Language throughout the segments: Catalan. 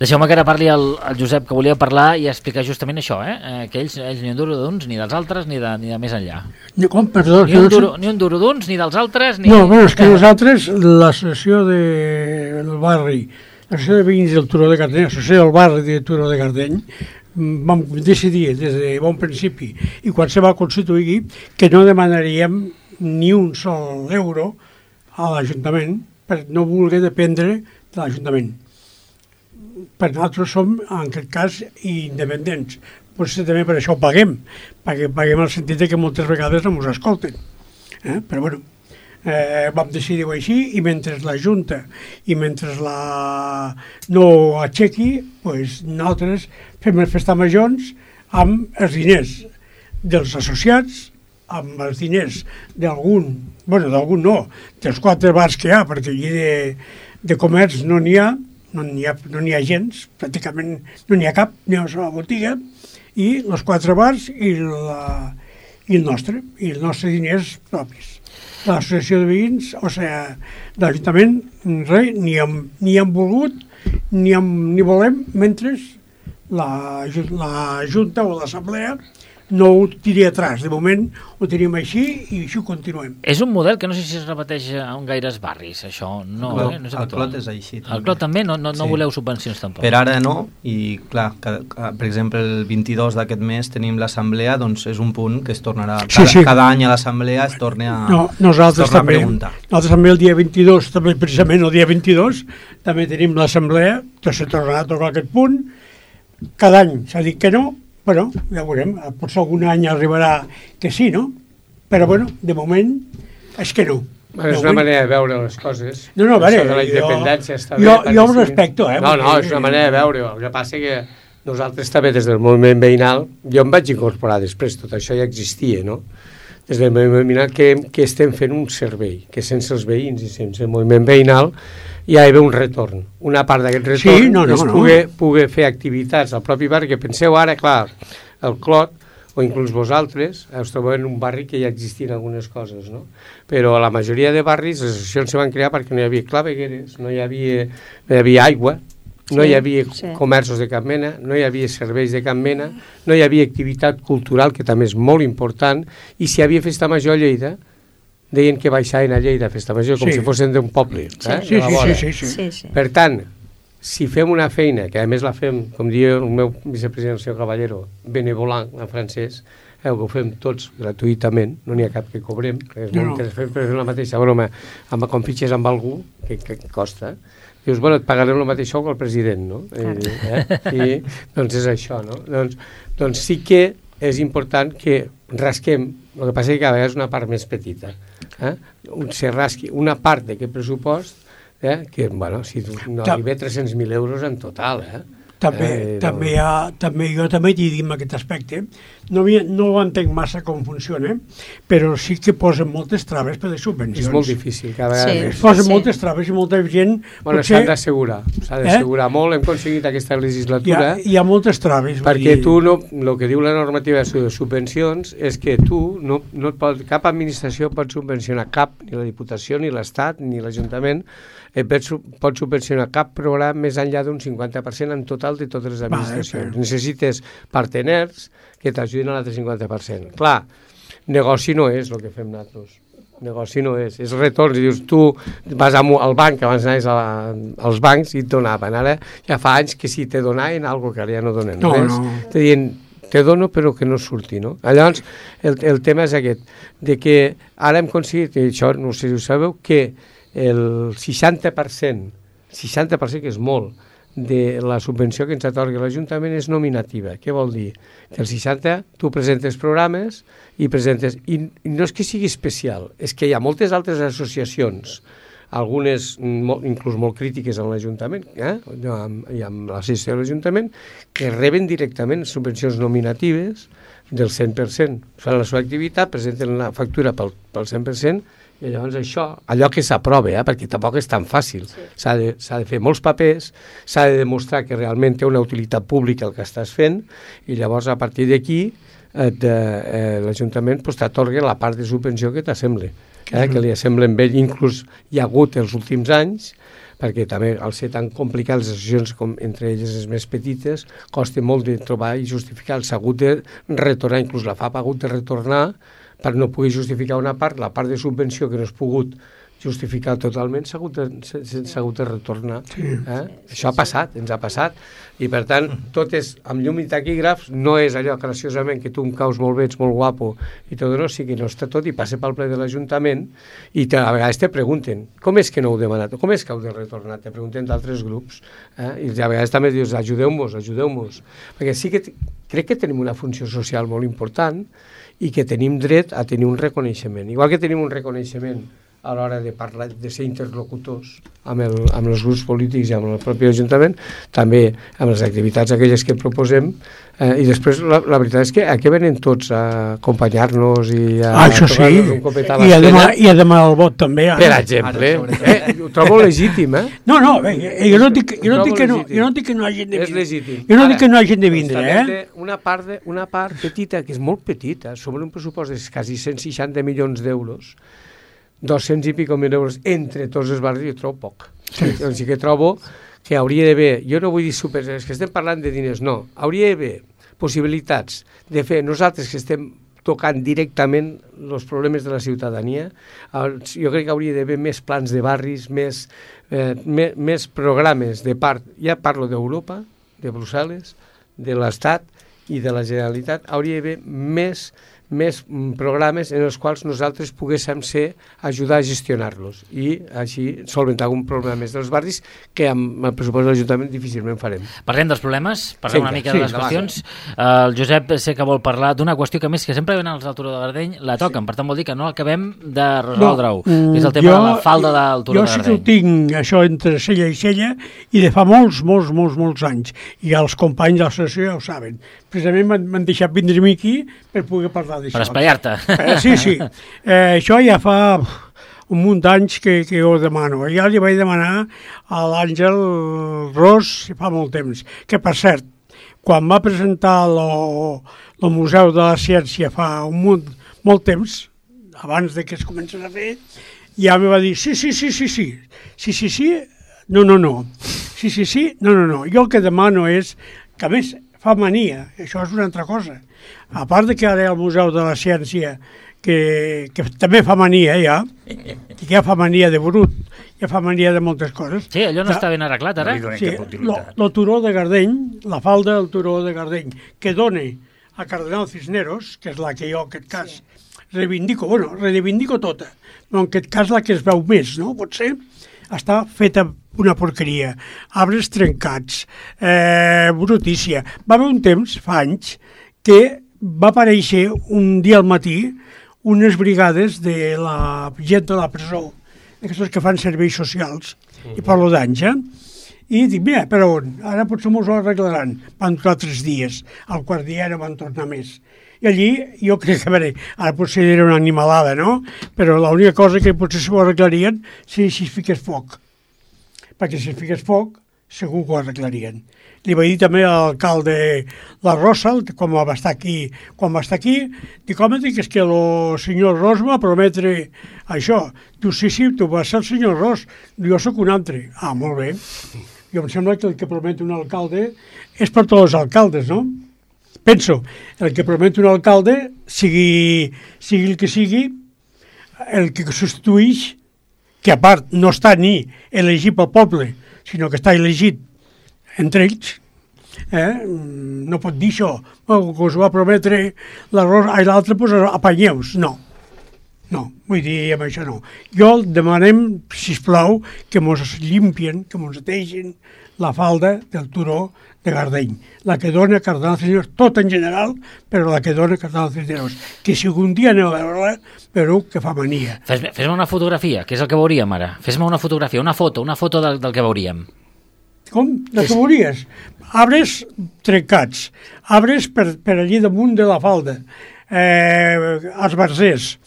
Deixeu-me que ara parli el Josep, que volia parlar i explicar justament això, que ells ni un duro d'uns, ni dels altres, ni de més enllà. Com, perdó? Ni un duro d'uns, ni dels altres, ni... No, bueno, és que nosaltres, l'associació del barri, l'associació de veïns del Turó de Cardeny, l'associació del barri de Turó de Cardeny, vam decidir des de bon principi i quan se va constituir que no demanaríem ni un sol euro a l'Ajuntament per no voler dependre de l'Ajuntament. Per nosaltres som, en aquest cas, independents. Potser també per això ho paguem, perquè paguem el sentit que moltes vegades no ens escolten. Però bueno, vam decidir-ho així i mentre la Junta i mentre no aixequi, doncs nosaltres fem les festes majors amb els diners dels associats, amb els diners d'algun no, dels 4 bars que hi ha, perquè allí de comerç no n'hi ha gens, pràcticament no n'hi ha cap, n'hi ha una sola botiga, i els 4 bars i els nostres diners propis. L'associació de veïns, o sigui, de l'Ajuntament, res, ni hem volgut, ni volem, mentre la Junta o l'Assemblea no ho tiri atrás. De moment ho tenim així i així ho continuem. És un model que no sé si es repeteix en gaires barris, això. No, no és el Clot és així. El Clot també? No voleu subvencions tampoc? Per ara no, i clar, per exemple el 22 d'aquest mes tenim l'assemblea, doncs és un punt que es tornarà, cada any a l'assemblea es torna a preguntar. Nosaltres també el dia 22, també precisament el dia 22, també tenim l'assemblea, que se tornarà a tocar aquest punt. Cada any s'ha dit que no, però ja veurem, potser algun any arribarà que sí, no? Però bueno, de moment és que no. És una manera de veure les coses. No, a veure, de la independència està bé. Jo ho respecto, No, és una manera de veure. El que passa que nosaltres també des del moviment veïnal, jo em vaig incorporar després, tot això ja existia, no? Des del moviment veïnal que estem fent un servei, que sense els veïns i sense el moviment veïnal ja hi ha un retorn. Una part d'aquest retorn és poder fer activitats al propi barri, que penseu ara, clar, el Clot, o inclús vosaltres, us trobeu en un barri que ja existien algunes coses, no? Però a la majoria de barris les associacions se van crear perquè no hi havia clavegueres, no hi havia aigua, no hi havia comerços de cap mena, no hi havia serveis de cap mena, no hi havia activitat cultural, que també és molt important, i si hi havia festa major a Lleida, deien que baixaven a Lleida a festa major com si fossin d'un poble. Sí. Per tant, si fem una feina, que a més la fem, com diu el meu vicepresident, el senyor Caballero, benevolant en francès, que ho fem tots gratuïtament, no n'hi ha cap que cobrem, que és molt interessant fer la mateixa broma quan fitxes amb algú, que costa, dius, bueno, et pagarem el mateix sou que el president, no? I doncs és això, no? Doncs sí que és important que rasquem, el que passa és que a vegades és una part més petita, se rasqui una part d'aquest pressupost, que, bueno, si no arriba a 300.000 euros en total, També jo també t'hi dic en aquest aspecte. No ho entenc massa com funciona, però sí que posen moltes traves per les subvencions. És molt difícil, cada vegada. Posen moltes traves i molta gent... Bueno, s'ha d'assegurar molt, hem aconseguit aquesta legislatura. Hi ha moltes traves. Perquè tu, el que diu la normativa de subvencions és que tu, cap administració pot subvencionar cap, ni la Diputació, ni l'Estat, ni l'Ajuntament, pot subvencionar cap programa més enllà d'un 50% en total de totes les administracions. Necessites parteners que t'ajudin a l'altre 50%. Clar, negoci no és el que fem nosaltres. Negoci no és retorns. I dius, tu vas al banc, abans anaves als bancs i et donaven. Ara ja fa anys que sí te donaven alguna que ara ja no donen res. Te diuen, te dono però que no surti, no? Llavors, el tema és aquest, de que ara hem aconseguit, i això no sé si ho sabeu, que el 60%, que és molt, de la subvenció que ens atorga l'Ajuntament és nominativa. Què vol dir? Que el 60% tu presentes programes i no és que sigui especial, és que hi ha moltes altres associacions, algunes inclús molt crítiques en l'Ajuntament i amb l'associació de l'Ajuntament, que reben directament subvencions nominatives del 100%. Fan la seva activitat, presenten la factura pel 100%, i llavors això, allò que s'aprova, perquè tampoc és tan fàcil, s'ha de fer molts papers, s'ha de demostrar que realment té una utilitat pública el que estàs fent, i llavors a partir d'aquí l'Ajuntament t'atorga la part de subvenció que t'assembla, que li assemblen bé. Inclús hi ha hagut els últims anys perquè també al ser tan complicat les associacions entre elles les més petites costa molt de trobar i justificar. S'ha hagut de retornar, inclús la FAP ha hagut de retornar per no poder justificar una part, la part de subvenció que no has pogut justificar totalment s'ha hagut de retornar. Això ha passat, ens ha passat, i per tant tot és amb llum i taquígrafs, no és allò graciosament que tu em caus molt bé, ets molt guapo i tot, no, sí que no està tot i passa pel ple de l'Ajuntament i a vegades te pregunten com és que no heu demanat, com és que heu de retornar, te pregunten d'altres grups, i a vegades també dius ajudeu-nos, perquè sí que crec que tenim una funció social molt important i que tenim dret a tenir un reconeixement, igual que tenim un reconeixement a l'hora de parlar, de ser interlocutors amb els grups polítics i amb el propi Ajuntament, també amb les activitats aquelles que proposem, i després la veritat és que aquí venen tots a acompanyar-nos i a tocar-nos un copet a l'esquena. I a demanar el vot també. Per exemple. Ho trobo legítim, No, jo no dic que no hagin de vindre. És legítim. Jo no dic que no hagin de vindre, Una part petita, que és molt petita, sobre un pressupost de quasi 160 milions d'euros, 200 i pico mil euros entre tots els barris, jo trobo poc. Doncs sí que trobo que hauria d'haver, jo no vull dir és que estem parlant de diners, no, hauria d'haver possibilitats de fer nosaltres que estem tocant directament els problemes de la ciutadania. Jo crec que hauria d'haver més plans de barris, més programes de part, ja parlo d'Europa, de Brussel·les, de l'Estat i de la Generalitat, hauria d'haver més programes en els quals nosaltres poguéssim ajudar a gestionar-los i així solventar algun problema més dels barris que amb el pressupost de l'Ajuntament difícilment farem. Parlem dels problemes, parlem una mica de les qüestions. El Josep sé que vol parlar d'una qüestió que més que sempre venen els del Turó de Gardeny la toquen, per tant vol dir que no acabem de resoldre-ho. És el tema de la falda del Turó de Gardeny. Jo sí que ho tinc, això entre cella i cella, i de fa molts anys, i els companys de l'associació ja ho saben. Precisament m'han deixat vindre aquí per poder parlar d'això. Per espaiar-te. Sí. Això ja fa un munt d'anys que ho demano. Ja li vaig demanar a l'Àngel Ros fa molt temps, que per cert, quan va presentar el Museu de la Ciència fa molt temps, abans de que es comencés a fer, ja me va dir sí, no. Jo el que demano és que, a més, fa mania, això és una altra cosa. A part de que ara hi ha el Museu de la Ciència, que també fa mania ja, que ja fa mania de brut, ja fa mania de moltes coses. Sí, allò no està ben arreglat ara. Sí, el Turó de Gardeny, la falda del Turó de Gardeny, que dona a Cardenal Cisneros, que és la que jo en aquest cas reivindico tota, però en aquest cas la que es veu més, no? Potser està feta una porqueria, arbres trencats, brutícia. Va haver un temps, fa anys, que va aparèixer un dia al matí unes brigades de la gent de la presó, aquests que fan serveis socials, i parlo d'anys, i dic, mira, per on? Ara potser m'ho arreglaran. Van durar 3 dies, al quart dia no van tornar més. I allí jo crec que, a veure, ara potser era una animalada, no? Però l'única cosa que potser s'ho arreglarien si es fiqués foc. Perquè si es fiqués foc, segur que ho arreglarien. Li vaig dir també a l'alcalde La Rosa, quan va estar aquí, dic, home, és que el senyor Ros va prometre això. Diu, sí, tu vas ser el senyor Ros, jo sóc un altre. Ah, molt bé. Jo em sembla que el que promet un alcalde és per tots els alcaldes, no? Penso, el que promet un alcalde, sigui el que sigui, el que substituïx, que a part no està ni elegit pel poble, sinó que està elegit entre ells, no pot dir això, que us va prometre l'altre, doncs apanyeu-vos. No, vull dir, amb això no. Jo demanem, sisplau, que mos limpien, que mos netegen la falda del Turó de Gardeny, la que dona Cardenal Cisneros, tot en general, però la que dona Cardenal Cisneros, que si algun dia aneu a veure-la, veureu que fa mania. Fes-me una fotografia, que és el que veuríem ara. Fes-me una fotografia, una foto del que veuríem. Com? De què veuries? Arbres trencats, arbres per allí damunt de la falda, esbarzers,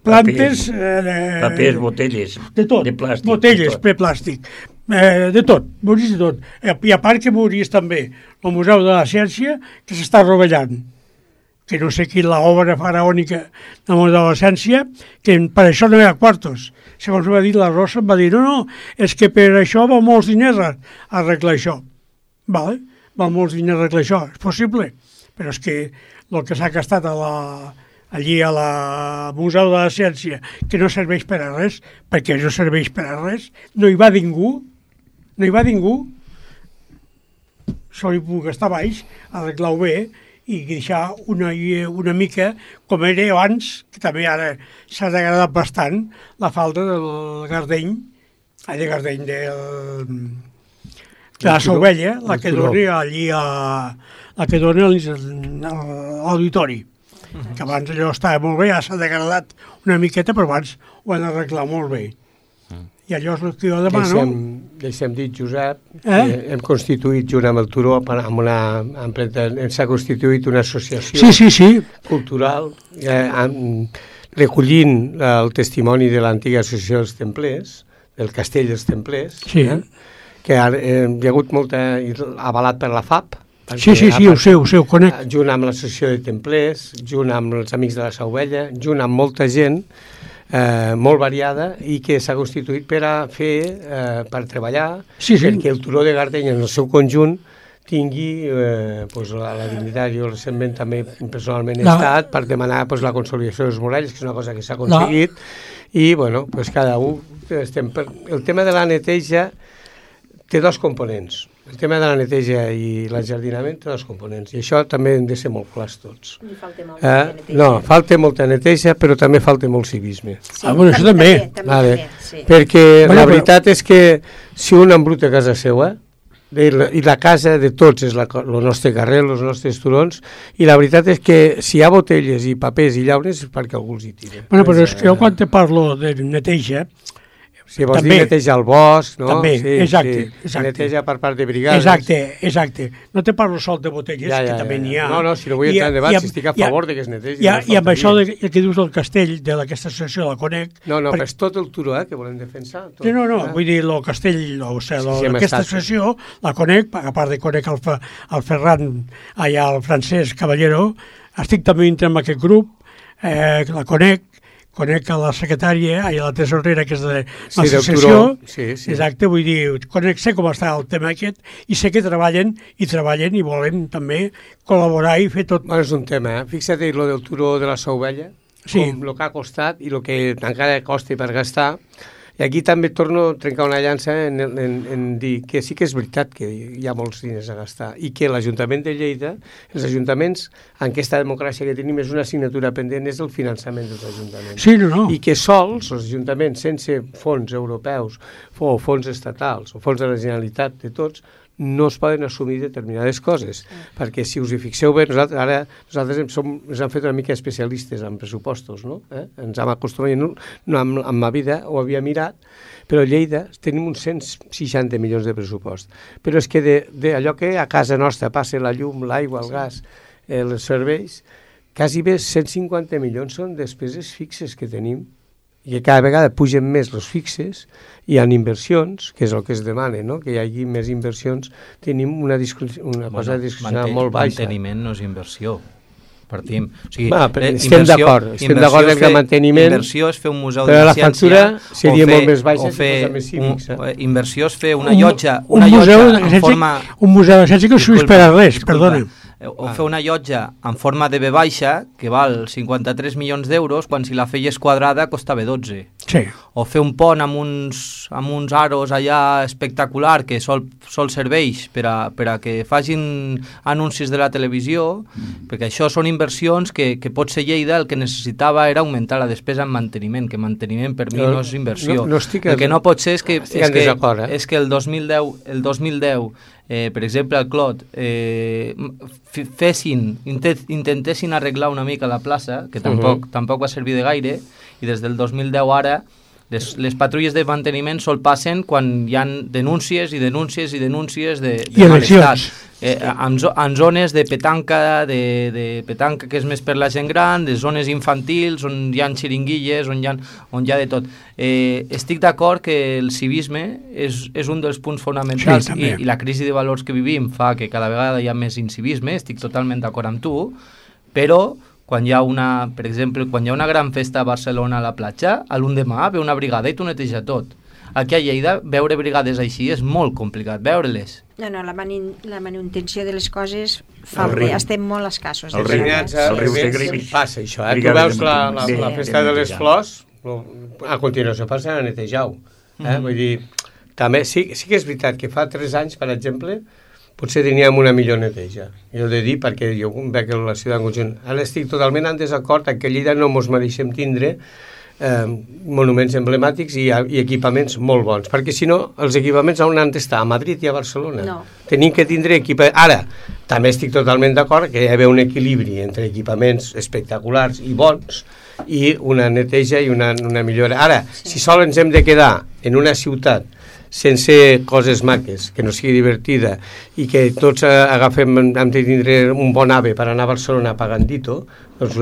plantes... Papers, botelles, de tot, de plàstic. Botelles, de plàstic, de tot, veuries de tot. I a part que veuries també el Museu de la Ciència, que s'està rovellant. que no sé qui l'obra faraònica de l'adolescència, que per això no hi ha quartos. Segons va dir la Rosa, em va dir, no, és que per això va molts diners a arreglar això. Vale, va molts diners a arreglar això, és possible, però és que el que s'ha gastat allí a la Museu de la Ciència, que no serveix per a res, perquè no serveix per a res, no hi va ningú, sol hi puc estar baix, arreglar-ho bé i deixar una mica com era abans, que també ara s'ha degradat bastant, la falda del Gardeny, de la Sauvella, la que dona allí la que dona a l'auditori, que abans allò estava molt bé, ja s'ha degradat una miqueta, però abans ho han arreglat molt bé. I allò és el que jo demano. Deixem dit, Josep, hem constituït junt amb el Turó, s'ha constituït una associació cultural, recollint el testimoni de l'antiga associació dels templers, del Castell dels Templers, que hi ha hagut molta, avalat per la FAP. Sí, ho sé, ho conec. Junt amb l'associació de templers, junt amb els Amics de la Sauvella, junt amb molta gent, molt variada, i que s'ha constituït per per treballar, perquè el Turó de Gardeny en el seu conjunt tingui la dignitat. Jo recentment també personalment he estat per demanar la consolidació dels muralles, que és una cosa que s'ha aconseguit, i cada un el tema de la neteja té dos components. El tema de la neteja i l'enjardinament té dos components, i això també hem de ser molt clars tots. Falta molta neteja, però també falta molt civisme. Això també. Perquè la veritat és que si un embruta a casa seva, i la casa de tots és el nostre carrer, els nostres turons, i la veritat és que si hi ha botelles i papers i llaunes és perquè algú els hi tira. Però és que jo quan te parlo de neteja, si vols dir neteja el bosc, no? També, exacte. Neteja per part de brigades. Exacte. No te parlo sol de botelles, que també n'hi ha. No, si no vull entrar en debat, si estic a favor que es netegi. I amb això que dius del castell, d'aquesta associació de la Conec... No, però és tot el Turó, que volem defensar. No, vull dir, el castell, aquesta associació, la Conec, a part de Conec el Ferran, allà el Francesc Caballero, estic també dintre amb aquest grup, la Conec a la secretària i a la tesorera, que és de l'associació. Exacte, vull dir, sé com està el tema aquest, i sé que treballen i volen també col·laborar i fer tot. És un tema, Fixa't el del Turó de la Sauvella, com el que ha costat i el que encara costa per gastar. I aquí també torno a trencar una llança en dir que sí que és veritat que hi ha molts diners a gastar i que l'Ajuntament de Lleida, els ajuntaments, en aquesta democràcia que tenim, és una assignatura pendent, és el finançament dels ajuntaments. I que sols els ajuntaments, sense fons europeus o fons estatals o fons de la Generalitat de tots, no es poden assumir determinades coses, perquè si us hi fixeu bé, nosaltres ens hem fet una mica especialistes en pressupostos, no? Ens hem acostumat, en ma vida ho havia mirat, però a Lleida tenim uns 160 milions de pressupost, però és que d'allò que a casa nostra passa la llum, l'aigua, el gas, els serveis, quasi bé 150 milions són despeses fixes que tenim, i cada vegada pugen més els fixes, i en inversions, que és el que es demana, no? Que hi hagi més inversions, tenim una cosa de discussió molt baixa. Manteniment no és inversió, partim. Estem d'acord que manteniment... Inversió és fer un museu de la la ciència... Però la factura seria molt més baixa si fos més cívics. Inversió és fer una llotja en forma... Un museu de la ciència que no s'ho per a res, perdona. O fer una llotja en forma de V baixa, que val 53 milions d'euros, quan si la feies quadrada costava 12. Sí. O fer un pont amb uns aros allà espectacular, que sol serveix per a que facin anuncis de la televisió, perquè això són inversions que potser Lleida el que necessitava era augmentar la despesa en manteniment, que manteniment per mi no és inversió. El que no pot ser és que el 2010 per exemple, al Clot, intentessin arreglar una mica la plaça, que tampoc va servir de gaire, i des del 2010 ara les patrulles de manteniment sol passen quan hi ha denúncies de mal estat. En zones de petanca, de petanca que és més per la gent gran, de zones infantils, on hi ha xiringuilles, on hi ha de tot. Estic d'acord que el civisme és un dels punts fonamentals, i la crisi de valors que vivim fa que cada vegada hi ha més incivisme, estic totalment d'acord amb tu, però quan hi ha per exemple, quan hi ha una gran festa a Barcelona a la platja, a l'endemà ve una brigada i t'ho neteja tot. Aquí a Lleida, veure brigades així és molt complicat, veure-les. No, la manutenció de les coses estem molt escassos. El riu Segrivi passa això, tu veus la festa de les flors, a continuació passa a netejar-ho. Vull dir, també sí que és veritat que fa 3 anys, per exemple, potser teníem una millor neteja. Jo he de dir, perquè jo veig la ciutat en conjunt. Ara estic totalment en desacord que a Lleida no ens mereixem tindre monuments emblemàtics i equipaments molt bons, perquè si no, els equipaments on han d'estar? A Madrid i a Barcelona. No. Tenim que tindre equipaments. Ara, també estic totalment d'acord que hi ha d'haver un equilibri entre equipaments espectaculars i bons i una neteja i una millora. Ara, si sol ens hem de quedar en una ciutat sense coses maques, que no sigui divertida i que tots hem de tindre un bon ave per anar a Barcelona pagandito, doncs